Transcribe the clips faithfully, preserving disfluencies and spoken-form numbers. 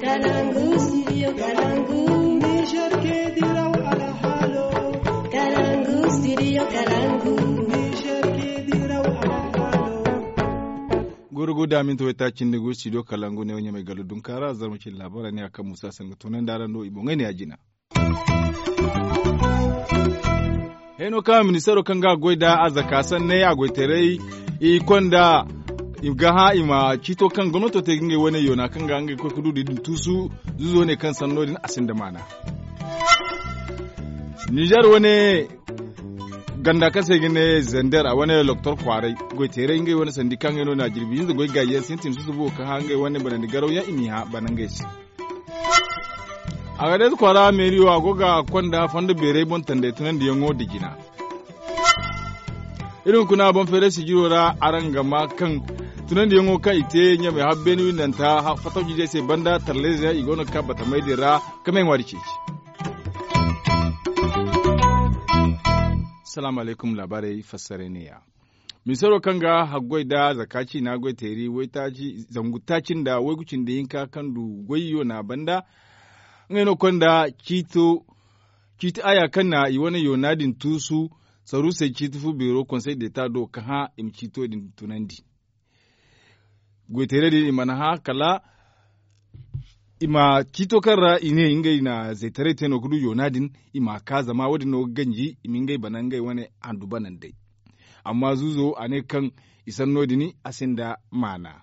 Kalangu, studio Kalangu. Niger ke diraw alhalo. Kalangu, studio Kalangu. Niger ke diraw alhalo. Goro go da minti wayta cindi go studio Kalangu ne wanya mai galo dunkara zarma cin labara ne akan musa sanga tunan da ran do i bongay ne a jina. Heno kaŋ ministaro kaŋ ga goy da a zaka sanney a goytaray i konda i ga hã i ma ciito kaŋ gomnato te ga ngey wane yoona kaŋ ga ngey koy ga du da i din tuusu. Zuzo ne kaŋ sanno din a sinda maana. Nizer wane ganda kaŋ se ga ne zender a wane loktor kwaaray goyteeray ngey wane sandi kaŋ ngey no na jirbi hinza goy gaayi yaŋ sintin susubo ga hã ngey wane banandi garaw yaŋ i m'i hã bana ngey se. A ga day kwaara meeriyo a go ga konda fondo beeray boŋ tanday tunandiyaŋo da jina. Iri hunkuna boŋ feeray sijiro ra araŋ ga ma kaŋ tunandiyaŋo kaŋ i te ɲamay habbeeni windanta fatawci day se banda tarleyze i go no ga ka batamay din ra. Ka may ŋwaari ceeci. Salaamu alaykum laabaarey fassaray neeya. Misaro kaŋ ga haggoy da zaka ciina goy teeri zangu taaci nda waygu cindi hinka kaŋ du goy yoona banda. Ngey no konda ciiti aya kaŋ na i wane yoona din tuusu saruusey ciiti fu beero konsey deeta do ka hã i ma ciito din tunandi. Goyteerey din i mana hã kala i ma ciito kaŋ ra i ne ngey na zaytaray te no ga du yoona din i m'a ka zama wo- din no ga ganji i ma ngey bana ngey wane handu banandey. Amma zuuzo a ne kaŋ i sanno din a sinda maana.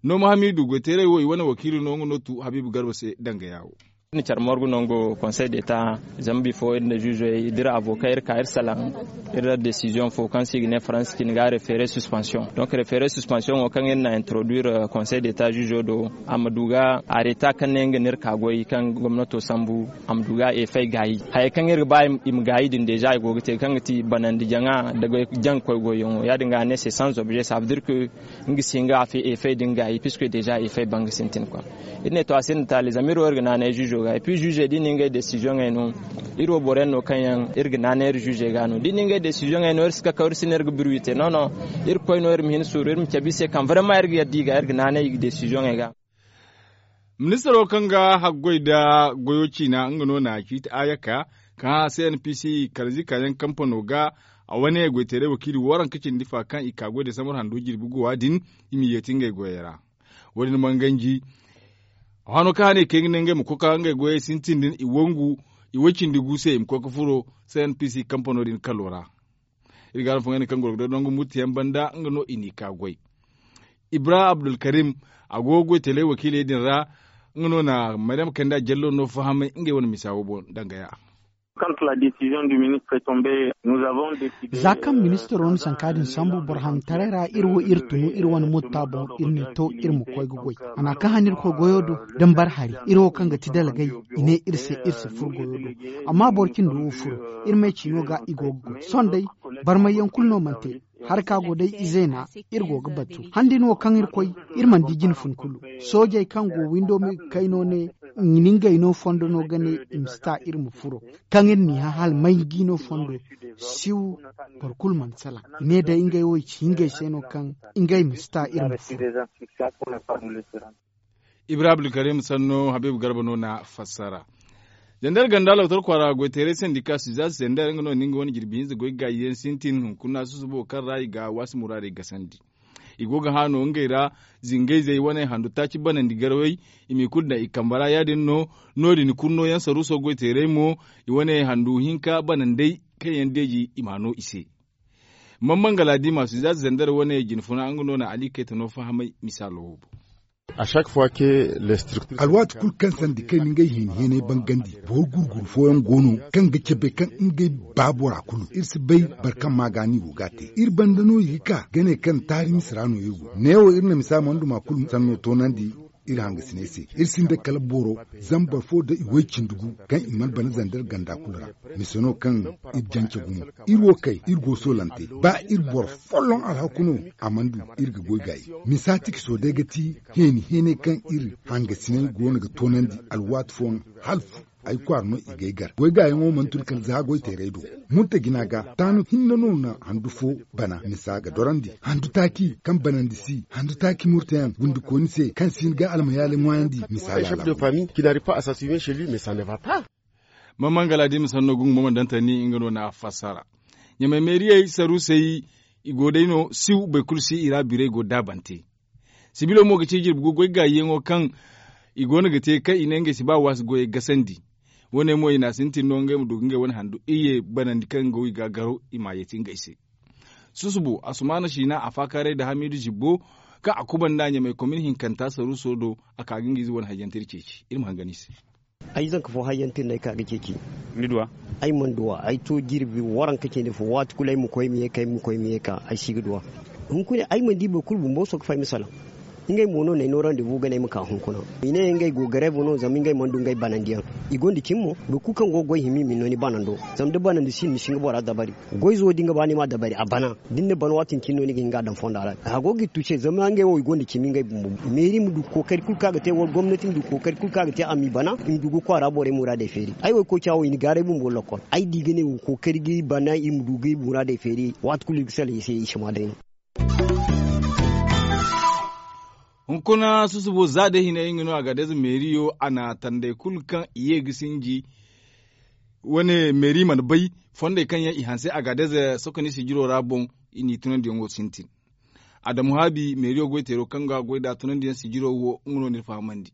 Nooma hamiidu goyteerey wo i wane wakiilo no nga no tu habiibu garba se danga yaawo. Iri na care morgu nango konsey deeta zama bifo iri nda ziizo iri avoka iri ka iri salaŋ. Iri ra desiziyoŋ fo kaŋ se i ga ne faransa cine ga refere suspansiyoŋ donk refere suspansiyoŋo kaŋ iri na introduire konsey deeta ziizo do a ma du ga areta kaŋ ne nga no iri ka goy kaŋ gomnato sambu a ma du ga efey gaayi. Hayey kaŋ iri ga ba i ma gaayi din deeza i go ga te kaŋ ga ti banandi jaŋa nda jaŋ koy goyyaŋo ya- din ga a ne se sans objet savedir ke nga si hin ga efey din gaayi piske deeza efey banga sintin kwa. Iri ne to a sinda taali zama iri wo iri ga naanay ziizo ga epi ziizey da i na ngey desiziyoŋey no. Iri wo boro yaŋ no kaŋ yaŋ iri ga naanay iri ziizey ga no da i na ngey desiziyoŋey no iri si kakaw iri si ne iri ga birwi te no no. Iri koy no iri ma hin suuru iri ma cabe i se kaŋ barema iri ga yadda i ga iri ga naanay i ga desiziyoŋey ga. Ministaro kaŋ ga haggoy nda goyo ciina nga no na ciiti ayaka kaŋ hã cnpc kala zikaayaŋ kampano ga a wane goyteeray wakiili waranka cindi fa kaŋ i ka goy da samar hando jirbi guwa din. I m'i yeeti ngey goyey ra. Wo- din mana ganji a hano kaŋ hane i kay ga ne ngey ma koy ka ngey goyey sintin din i wangu i way cindi gu se i ma koy ga furo cnpc kampano din kalo ra. Iri ga araŋ fo ngey ne kaŋ goro ga daw nangu murti yaŋ banda nga no i n'i ka goy. Ibra abdulkarim a go ga goy tele wakiiley din ra. Nga no na maryam kanda jallo no fahamay ngey wane misa wo boŋ danga ya. Za kaŋ ministaro na sanka din sambu boro hantaray ra iri wo iri tunu iri wane mutta boŋ iri ne to iri ma koy ga goy. A na kaŋ han iri koy goyo do da ni bar hari iri wo kaŋ ga ti dalgay i ne iri se iri si furo goyo do. Amma boro cindi wo furo iri me ciino ga i go ga goy sohõ day. Barmayyaŋ kulu no mana te. Hari ka go day izeena iri go ga batu han din wo kaŋ iri koy iri mana di jine fun kulu. Soojey kaŋ go windo me ga kay no ne i na ngey no fondo no ga ne i ma si ta iri ma furo. Kaŋ iri n'i hã hala may ga i no fondo siw. Boro kulu mana salaŋ i ne day ngey wo i ci ngey se no kaŋ ngey ma si ta iri ma furo. Ibrahim abdulkarim sanno habiibu garba no na fassara. Zandar ganda lawtar kwaara goyteeray sandika suzas zandar nga no na nga wane jirbi hinza goy gaayi yaŋ sintin hunkuna susubo kaŋ ra i ga waasi muraadey gasandi. I go ga hã no ngey ra zingayzey wane handu taaci banandi garawey. I m'i kulu daŋ i kambe ra ya- din no. No- din kulu no yaŋ saruuso goyteeray mo i wane handu hinka banandey kaŋ yaŋ deeji i m'a no i se. Mamman galaadi ma suzas zandar wane jine funa nga no na ali kayta no fahamay misaalo wo boŋ. Alwaati kulu kaŋ sandi kay na ngey hini heenay bangandi boro gurguru fooyaŋ go no kaŋ ga cabe kaŋ ngey ba bora kulu iri si bay boro kaŋ ma ga no i go ga a te iri banda no i ga ka ga ne kaŋ taari mise ra no iri go neewo iri na misa manduma kulu sanno toonandi. Iri hangasiney se iri sinda kala boro zama boro fo da i way cindi gu kaŋ i mana bana zandar ganda kulu ra. Mise no kaŋ iri jance gumo iri wo kay iri go soolante ba iri boro folloŋ alhaku no. A mana du iri ga goy gaayi misa tikiso day ga ti heeni heenay kaŋ iri hangasiney goono ga toonandi alwaati fooyaŋ hala fu. Ay kwaara no i g'ay gar goy gaayaŋo mana tun kala za goy teeray do. Murta jina ga taanu hinne no na handu fo bana misa ga dorandi handu taaci kaŋ banandi si handu taaci murtayaŋ gundikooni se kaŋ si hin ga almayaali ŋwaayandi misa ga alama. Mama ngala da i ma sanno gungu mo mana daŋ tani nga no na a fassara. Ɲamay meeriyey saruusey i go day no siw boro kulu si i ra birey go daabante. Sibilo mo ga ci jirbi gu goy gaayiyaŋo kaŋ i go no ga te kaŋ i ne ngey si ba waasi goyey gasandi. Wo- ne mo i na a sintin no ngey ma du ga ngey wane handu iyye banandi kaŋ go i ga a garo i m'a yeeti ngey se. Susubo asumaana siina a faakaaray nda hamiidu zibbo kaŋ a kubanda ɲamay komin hinkanta saruuso do. A ka ga nga ize wane hayyante iri ceeci iri ma hangan i se. Ay zanka fo hayyante no ay ka ga ceeci. Ay mana duw'a ay to jirbi waranka cindi fo waati kulu ay ma koy ay ma ye ka ay ma koy ay ma ye ka ay si ga duw'a. Hunkuna ay mana di boro kulu bumbo soka fay ma salaŋ. Ngey mo no na ay no randebu ga ne ay ma ka hunkuna. I ne ngey go gareebu no zama ngey mana du ngey banandiyaŋ. I gonda cimi mo boro kulu kaŋ go ga goy hima i ma ni no ni banando. Zama da banandi si ni si nga bora dabari. Goy zo da nga ba ni ma dabari a bana. Da ni na bana waati din cine no ni ga hin ga a daŋ fonda ra a go ga i tuuse zama ngey wo i gonda cimi ngey bumbo. Meeri ma du kookari kulu kaŋ a ga te wala gomnati ma du kookari kulu kaŋ a ga te a m'i bana i ma du ga kwaara borey muraadey feeri. Ay wo ay koy caawo i na gaaray bumbo lakkol ay di ga ne wo kookari ga i bana i ma du ga i muraadey feeri. Waati kulu i ga salaŋ i se i si ma day no. Hunkuna susubo za day hina nga no a ga day za meeriyo a na tanday kulu kaŋ i ye ga sinji. Wane meeri mana bay fondey kaŋ yaŋ i hanse a ga day za sokoni sijiro ra boŋ. I n'i tunandiyaŋo sintin. Adamu haabi meeriyo goy teero kaŋ ga goy nd'a tunandiyaŋ sijiro wo nga no n'iri fahamandi.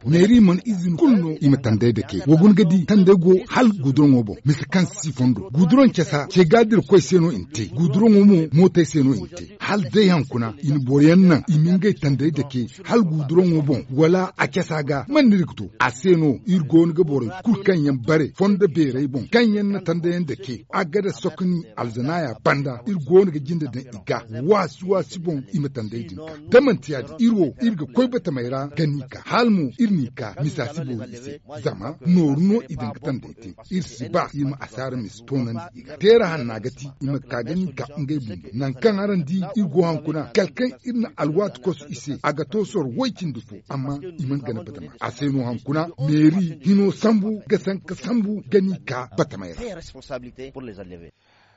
Meeri mana izini kulu no i ma tanday dake wa guna ga di tanday go hala guduroŋo boŋ mise kaŋ si fondo guduroŋ casa ce ga dira koy se no i na te guduroŋo mo mootey se no i na te. Hala day hankuna i na boro yaŋ naŋ i ma ngey tanday dake hala guduroŋo boŋ wala a casa ga man no iri ga to a se no iri go no ga borey kulu kaŋ yaŋ bare fondo beerey boŋ kaŋ yaŋ na tandayaŋ dake a ga da sokoni alzanaaya banda iri go no ga jinde daŋ i ga waasi waasi boŋ i ma tanday din ga da manti ya- din iri wo iri ga koy batamey ra ga n'i ka hala mo iri n'i ka misa si boori i se. Zama nooru no i daŋ ga tanday te iri si ba iri ma asaara misa toonandi i ga teera hanna ga ti i ma ka ga n'i ka ngey bumbo nangu kaŋ araŋ di iri go hankuna kala kaŋ iri na alwaati kosu i se a ga to soro woy cindi fo amma i mana gana batama a se no hankuna meeri hino sambu ga sanka sambu ga n'i ka batamey ra.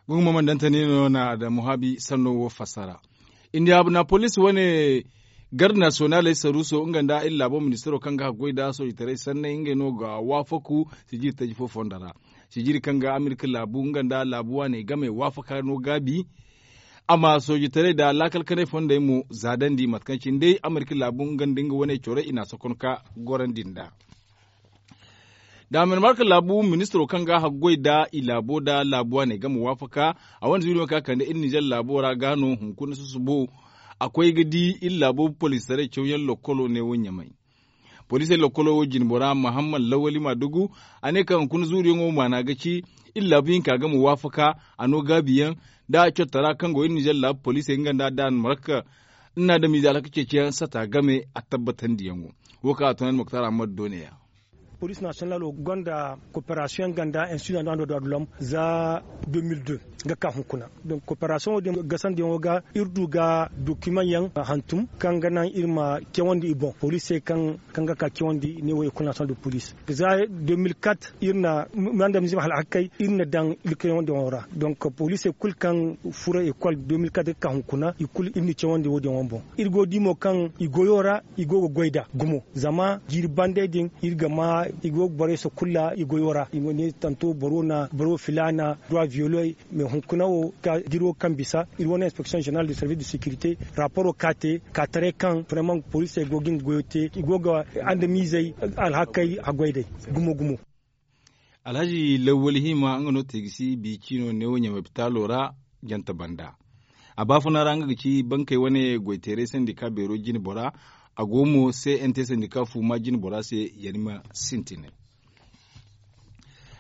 Gumo mana daŋ tani no na adamu haabi sanno wo fassara. Indiyabuna poliisi wane garde nasiyonaaley saruuso nga nda iri laabo ministiro kaŋ ga haggoy nda soojitaray sanney ngey no ga waafaku sijiri taji fo fondo ra. Sijiri kaŋ ga amerika laabu nga nda laabu waaney game waafaka no gaabi. A ma soojitaray nda laakal kanay fondey mo zaadandi mate kaŋ cine day amerika laabu nga nda nga wane corey i n'a sokon ka gorandi nd'a. Daamirmarka laabu ministiro kaŋ ga a haggoy nda i laabo nda laabu waaney game waafaka. A wane zuuri ma ka kande iri nizer laabo ra ga no hunkuna susubo. A koy ga di iri laabo poliistaray cawyaŋ lokkolo ne wo ɲamay. Poliisey lokkolo wo jinbora mahammad lawali maadugu. A ne kaŋ hunkuna zuuriyaŋo maana ga ci iri laabu hinka game waafaka. A no gaabiyaŋ nda a cottara kaŋ go iri nizer laabu poliisey nga nda daamirmarka. Nna adamiize alhaka ceeciyaŋ sata game a tabbatandiyaŋo. Wo kaŋ a tunandi moktar ahmad do ne ya. Poliisi nasiyonalo gonda koperasiyoŋ ganda institut national de droit de l'homme za deux mille deux ga ka hunkuna. Donk koperasiyoŋo din gasandiyaŋo ga iri du ga dokimaŋ yaŋ hantum kaŋ ga naŋ iri ma cawandi i boŋ poliisey kaŋ ga ka cawandi ne wo ekol nasiyonal de poliisi. Za deux mille quatre iri na mandamizim hala hakkey iri na daŋ iri cawandi yaŋo ra. Donk poliisey kulu kaŋ furo ekol deux mille quatre ga ka hunkuna i kulu iri na cawandi wo- din yaŋo boŋ. Iri go ga di mo kaŋ i goyo ra i go ga goy nd'a gumo zama jiiri bandey din iri ga ma i go ga borey sakulla i goyo ra i ma ne tanto boro na boro filaana duwa viyoloy. Mais hunkuna wo ka jiro kaŋ bisa iri wane inspeksiyoŋ zeneral de servis de sekirite raporo ka te ka taray kaŋ fireman poliisey go ga nga goyo te i go ga andamiizey alhakey haggoy day. Gumo gumo. Alhazi lawwali hima nga no te ga si biicino neewo ɲamay bitaalo ra. Jante banda a baafuna ra nga ga ci bankey wane goyteeray sandika beero jine bora. A go mo se nt sandika fuuma jine bora se yari ma sintinay.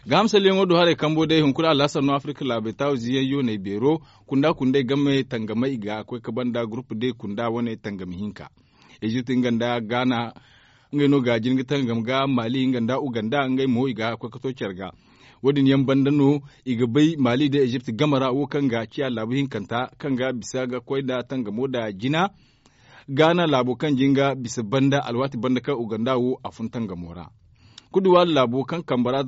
Ga hamsalyaŋo do haray kambo day hunkuna alhasar no afirka laabay taawu ziyaŋ yoonay beero kunda kunday game tangamay i ga koy ka banda gurupu day kunda wane tangami hinka. Ezipt nga nda gaana ngey no ga jin ga tangam ga maali nga nda uganda ngey mo i ga koy ka to care ga. Wo- din yaŋ banda no i ga bay maali nda ezipt game ra wo kaŋ ga ciya laabu hinkanta kaŋ ga bisa ga koy nda tangamo nda jina. Gaana laabo kaŋ jinga bisa banda alwaati banda kaŋ uganda wo a fun tangamo ra. Kuduwaari laabo kaŋ kambe ra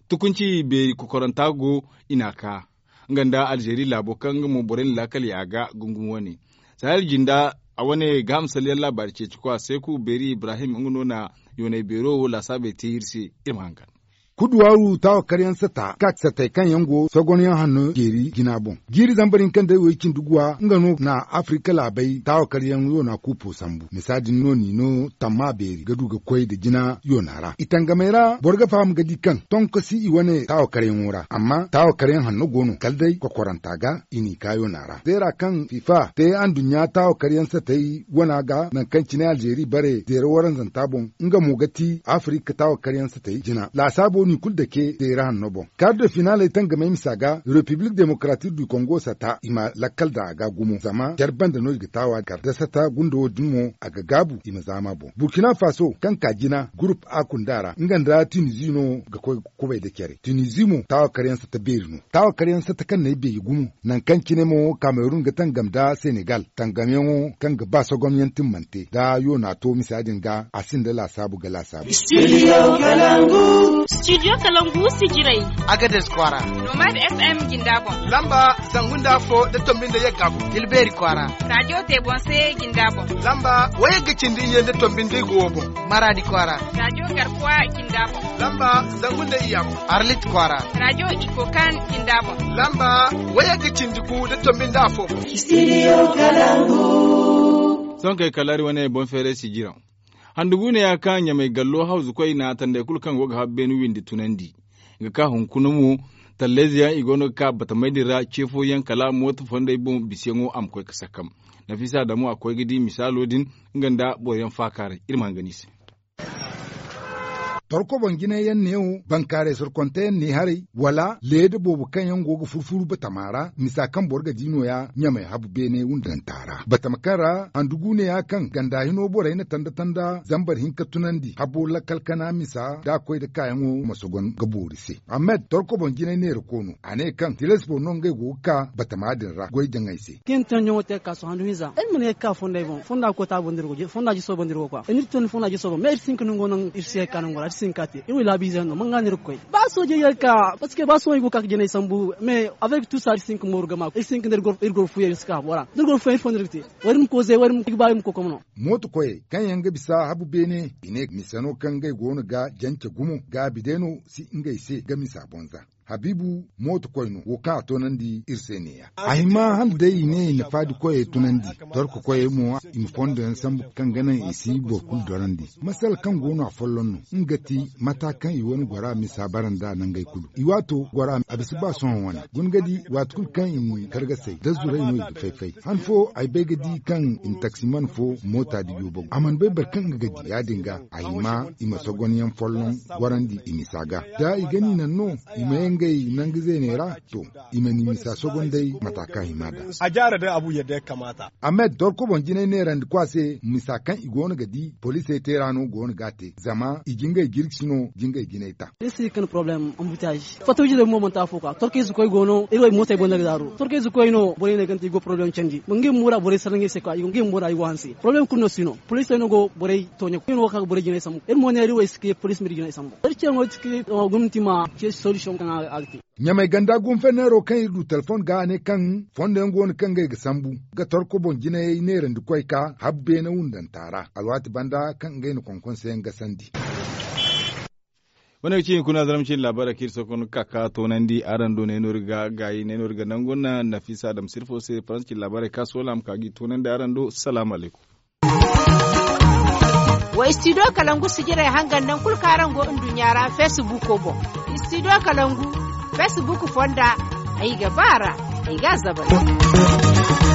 tukunci beeri kokoranta go i n'a ka. Nga nda alzeeri laabo kaŋ nga mo borey na laakal yaaga gungum wane. Sahel jinda a wane gaaham salyaŋ laabaari ceeci kwa seeku beeri ibrahim nga no na yoonay beero wo laasaabey te iri se. Iri ma hangan. Kuduwaaru taawakaryaŋ sata kak satey kaŋ yaŋ go sogonyaŋ hanno jeeri jina boŋ. Jiiri zambar hinka nda way cindi guwa nga no na afirika laabey taawakaryaŋ yoona kuupo sambu misa din no ni no tamma beeri ga du ga koy nda jina yoona ra i tangamey ra boro ga faham ga di kaŋ tonko si i wane taawakaryaŋo ra amma taawakaryaŋ hanno go no kala day kokoranta ga i n'i ka yoona ra zeera kaŋ fifa te anduɲɲa taawakaryaŋ satey wana ga nangu kaŋ cine alzeeri bare zeera waranzanta boŋ. Nga mo ga ti afirika taawakaryaŋ satey jina laasaabo no i kulu dake zeera hanno boŋ. Kar da finaaley tangamey misa ga repiblik demokratik du kongo sata i ma lakkal daŋ a ga gumo zama care banda no i ga taawa kar da sata gunda wo- din mo a ga gaabu i ma zaama boŋ burkina faso kaŋ ka jina gurup a kunda ra nga nda tunizi no ga koy kubay nda care tunizi mo taawakaryaŋ sata beeri no. Taawakaryaŋ sata kaŋ na ay beeri gumo nangu kaŋ cine mo kamerun ga tangam nda senegal tangamyaŋo kaŋ ga ba sogomyaŋ timmante nda yoona to misa din ga a sinda laasaabu ga laasaabu. Studio kalangu sijirey. Agades kwaara. Nomad fm jinda boŋ. Lamba zangu nda afo nda tombi nda yagga boŋ. Tilbeeri kwaara. Radiyo te boŋ se jinda boŋ. Lamba wayagga cindi iyye nda tombi nda igo wo boŋ. Maraadi kwaara. Radiyo garkuwa jinda boŋ. Lamba zangu nda iyya boŋ. Arlit kwaara. Radiyo iko kan jinda boŋ. Lamba wayagga cindi gu nda tombi nda afo boŋ. Sohõ kay kala iri wane boŋ feeray sijiraŋ. Handu guuneya kaŋ ɲamay gallo hawzu koy na tanday kulu kaŋ go ga habu beene windi tunandi. Ga ka hunkuna mo tallayze yaŋ i go no ga ka batamay din ra ce fooyaŋ kala mooto fonday boŋ bisayaŋo a ma koy ga sakkam. Nafisa damu a koy ga di misaalo din nga nda boro yaŋ faakaaray iri ma hangan i se. Torko boŋ jinay yaŋ neewo bankaaray sorkonte yaŋ ne haray wala leeda boobo kaŋ yaŋ go ga furfuru batama ra misa kaŋ boro ga di nooya ɲamay habu beene wundanta ra batama kaŋ ra handu guuneya kaŋ ganda hino borey na tanda tanda zambar hinka tunandi habo lakkal kana misa da a koy nda kaayaŋo ma sogon ga boori se. Ahmed torko boŋ jinay neera koono a ne kaŋ tilas boro no ngey go ga ka batama din ra goy jaŋay se. Kaŋ yaŋ tonyaŋo te ga ka sohõ handu hinza iri mana ye ga ka fonday boŋ fonda ga koy taabu nda iri go fonda jiso boŋ nda iri go kwa iri n'iri tondi fonda jiso boŋ mais iri si hin ka nango naŋ iri si ye ga ka nango ra iri si hin ka te iri wo i laabiizey no manga no iri ga koy. Ba soojey ye ga ka parce que ba sohõ i go ga ka ga jinay sambu mais avec tout ça iri si hin ka mooru gama iri si hin ka nda iri goro fuuyaŋ iri si ka habo ra da iri goro fuuyaŋ iri fo no iri ga te. Wala iri ma koy zay wala iri ma ba iri ma koy komno. Mooto koyey kaŋ yaŋ ga bisa habu beene i ne misa no kaŋ ngey go no ga jance gumo gaabi day no si ngey se ga misa boŋ za. Habiibu mooto koy no wo kaŋ a toonandi iri se neeya a hima hala day i ne i na faadi koyey tunandi. Torko koyey mo i ma fondo yaŋ sambu kaŋ ga naŋ i si boro kulu dorandi. Masala kaŋ go no a folloŋ no nga ti mata kaŋ i wane gora misa bara nd'a nangey kulu i waato gora a bisa ba sohõ wane guna ga di waati kulu kaŋ i na kargasey da zuray no i ga fay-fay han fo ay bay ga di kaŋ i na taksiman fo moota dijo bagu a mana bay boro kaŋ nga ga di ya-din ga a hima i ma sogonyaŋ folloŋ gorandi i misa ga da i ga ni naŋ no i ma ye ngey nangu zeeney ra. To i ma ni misa sogonday mata kaŋ hima da. A jaara day abu yadda ya kamaata. Ahmed dorko boŋ jinay neerandi kwa se misa kaŋ i go no ga di poliisey te ra no go no ga a te zama i jingay jirgisi no jingay jinay ta. Iri si hin ka ne poroblem anbutiyaazi fatta wiizi day bumbo manti afo kwa torkayze koy go no iri wo mootey boŋ no iri daaru torkayze koy no borey ne kaŋ te i go poroblem candi ngey bumbo ra borey sara ngey se kwa ngey bumbo ra i go hanse poroblem kulu no si no poliisey no go borey tooɲe koy no go ka ga borey jinay sambu iri mo ne iri wo iri si ka ye poliisi ma iri jinay sambu iri ce no iri si ka ye gomnati ma ce solution kaŋ a ga te. Ɲamay ganda gunfenneero kaŋ iri du telefon ga a ne kaŋ fondo yaŋ go no kaŋ ngey ga sambu ga torko boŋ jinayey neerandi koy ka habu beene wundanta ra alwaati banda kaŋ ngey na konkon se yaŋ gasandi. Wane ga ci hinkuna zarma cine laabaarey kaŋ iri sohõ ga ka ka toonandi araŋ do ne no iri ga gaayi ne no iri ga nangu nda nafisa adama sirfo se faransa cine laabaarey ka soola a ma ka ga i toonandi araŋ do. Salaamu alaykum. Wa studio kalangu sijirey hangan nangu kulu kaŋ araŋ go nduɲɲa ra feesibuuko boŋ. Studio kalangu feesibuuko fonda ay ga ba a ra ay ga a zabari.